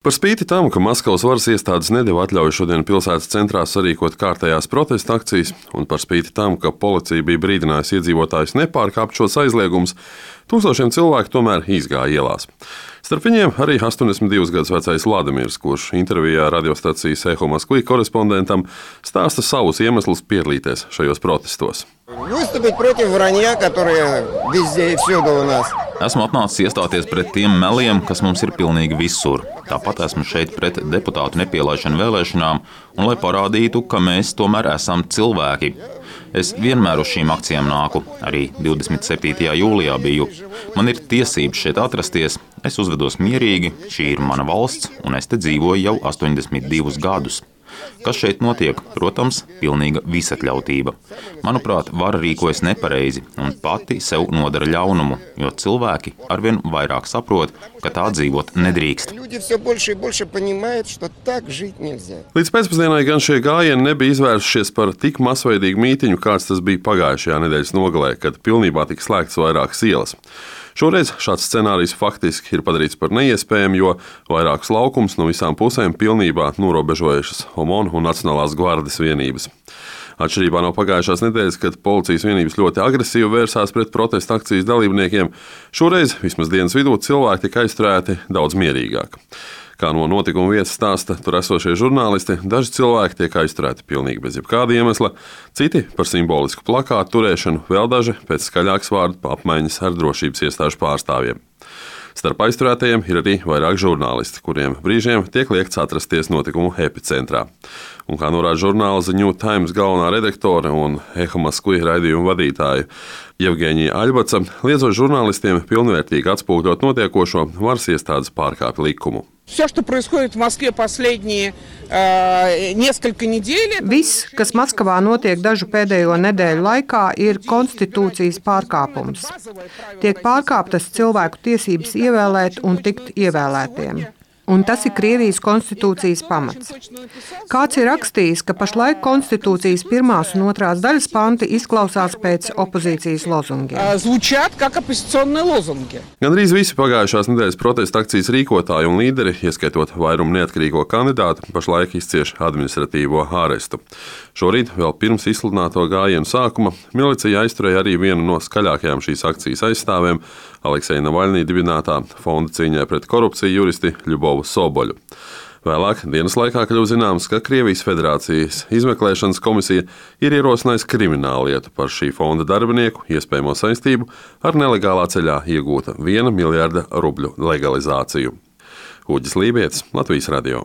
Par spīti tam, ka Maskavas varas iestādes nedeva atļauju šodien pilsētas centrā sarīkot kārtējās protesta akcijas, un par spīti tam, ka policija bija brīdinājusi iedzīvotājus nepārkāpt šos aizliegumus, tūkstošiem cilvēku tomēr izgāja ielās. Starp viņiem arī 82 gadus vecais Vladimirs, kurš intervijā radiostacijas Eho Moskvī korespondentam stāsta savus iemeslus piedalīties šajos protestos. Esmu atnācis iestāties pret tiem meliem, kas mums ir pilnīgi visur. Tāpat esmu šeit pret deputātu nepielaišanu vēlēšanām un lai parādītu, ka mēs tomēr esam cilvēki. Es vienmēr uz šīm akcijām nāku, arī 27. jūlijā biju. Man ir tiesības šeit atrasties, es uzvedos mierīgi, šī ir mana valsts un es te dzīvoju jau 82 gadus. Kas šeit notiek? Protams, pilnīga visatļautība. Manuprāt, vara rīkojas nepareizi un pati sev nodara ļaunumu, jo cilvēki arvien vairāk saprot, ka tā dzīvot nedrīkst. Līdz pēcpusdienai gan šie gājieni nebija izvērsušies par tik masveidīgu mītiņu, kāds tas bija pagājušajā nedēļas nogalē, kad pilnībā tika slēgtas vairākas ielas. Šoreiz šāds scenārijs faktiski ir padarīts par neiespējamu, jo vairākus laukumus no visām pusēm pilnībā norobežojušas OMON un Nacionālās gvardes vienības. Atšķirībā no pagājušās nedēļas, kad policijas vienības ļoti agresīvi vērsās pret protesta akcijas dalībniekiem, šoreiz, vismaz dienas vidū, cilvēki tika aizturēti daudz mierīgāk. Kā no notikuma vietas stāsta tur esošie žurnālisti, daži cilvēki tiek aizturēti pilnīgi bez jebkāda iemesla, citi par simbolisku plakātu turēšanu, vēl daži pēc skaļākas vārdu apmaiņas ar drošības iestāžu pārstāvjiem. Starp aizturētajiem ir arī vairāk žurnālisti, kuriem brīžiem tiek liekts atrasties notikumu epicentrā. Un kā norāda žurnāla The New Times galvenā redaktore un Eho Moskvī raidījuma vadītāja Jevgeņija Aļbaca, liedzot žurnālistiem pilnvērtīgi atspūgļot notiekošo, varas iestādes pārkāpj likumu. Viss, kas Maskavā notiek dažu pēdējo nedēļu laikā, ir konstitūcijas pārkāpums. Tiek pārkāptas cilvēku tiesības ievēlēt un tikt ievēlētiem. Un tas ir Krievijas konstitūcijas pamats. Kāds ir rakstījis, ka pašlaik konstitūcijas 1. un 2. daļas panti izklausās pēc opozīcijas lozungiem. Gandrīz visi pagājušās nedēļas protesta akcijas rīkotāji un līderi, ieskaitot vairumu neatkarīgo kandidātu, pašlaik izcieš administratīvo ārestu. Šorīt, vēl pirms izsludināto gājienu sākuma, milicija aizturēja arī vienu no skaļākajām šīs akcijas aizstāvēm, Alekseja Navaļnī dibinātā fonda cīņai pret korupciju juristi Ļubovu Soboļu. Vēlāk dienas laikā kļuva zināms, ka Krievijas Federācijas izmeklēšanas komisija ir ierosinājusi krimināllietu par šī fonda darbinieku iespējamo saistību ar nelegālā ceļā iegūta 1 miljarda rubļu legalizāciju. Uģis Lībietis, Latvijas radio.